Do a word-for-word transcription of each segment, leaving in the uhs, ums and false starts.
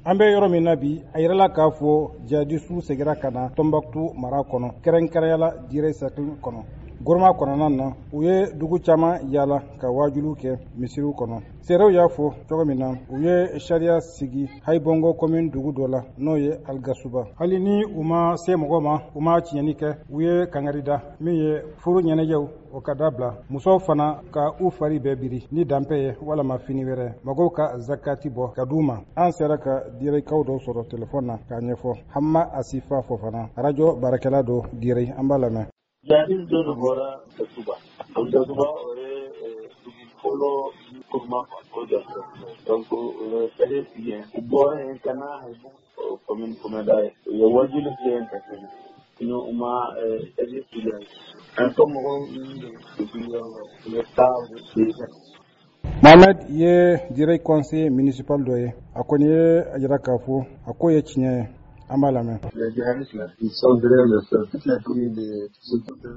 An bɛ yɔrɔ min na bi, a yirala k'a fɔ jihadisiw seginna ka na Tɔnbɔkutu mara kɔnɔ, kɛrɛnkɛrɛnyala Dire cercle kɔnɔ. Goroma kɔnɔna na, u ye dugu caman yaala ka wajuliw kɛ misiriw kɔnɔ. Seerew y'a fɔ cogo min na, u ye sariya sigi Hayibɔngo commune dugu dɔ la, n'o ye Aligasuba. Hali ni u ma se mɔgɔ ma, u ma tiɲɛni kɛ, u ye kangari da min ye furu ɲɛnajɛw, o ka dabila, musow fana ka u fari bɛɛ biri ni danpɛ ye walama fini wɛrɛ, mɔgɔw ka zakati bɔ ka d'u ma. An sera ka Direkaw dɔw sɔrɔ telefɔni na k'a ɲɛfɔ. Hama Asifa Fofana, arajo baarakɛla don Dire, an b'a lamɛn. Jihadiste dɔ de bɔra Gasuba. Gasuba, o ye dugu fɔlɔ kuruma, o donc o ye sariya sigi yen. U bɔra yen ka na commune kɔnɔda ye, u ye wajuli kɛ yen ka tɛmɛ, sinon u ma sariya sigi yen. An ka mɔgɔw u bɛ taa u bɛ. Mohamed ye Dire conseiller municipal dɔ ye. A kɔni ye a jira k'a fɔ a ko ye tiɲɛ ye. An b'a lamɛn.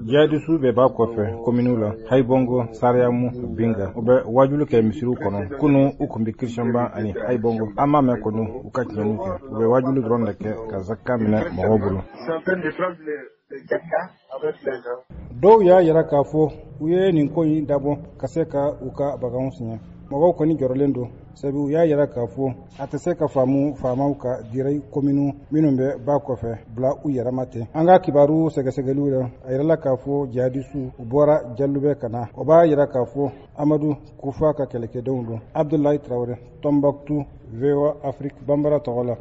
Jihadisiw bɛɛ b'a kɔfɛ kominiw la, Hayibɔngo, Sariyamu, Binga. U bɛ wajulu kɛ misiriw kɔnɔ. Kunu, u kun bɛ Kirisiyɔnba ani Hayibɔngo. An m'a mɛn kɔni u ka tiɲɛniw kɛ. U bɛ wajulu dɔrɔn de kɛ ka zaka minɛ mɔgɔw bolo. Dɔw y'a yira k'a fɔ u ye nin ko in dabɔ ka se ka u ka baganw siɲɛ. Mɔgɔw kɔni jɔrɔlen don, sabu u y'a yira k'a fɔ a tɛ se ka faamu faamaw ka Dire kominiw minnu bɛ ba kɔfɛ bila u yɛrɛma ten. An ka kibaru sɛgɛsɛgɛliw la, a yirala k'a fɔ jihadisiw, u bɔra Jalubɛ ka na. O b'a yira k'a fɔ Amadu Kufa ka kɛlɛkɛdenw don. Abdulayi Tarawele, Tɔnbɔkutu, V O A Afrique Bambara tɔgɔ la.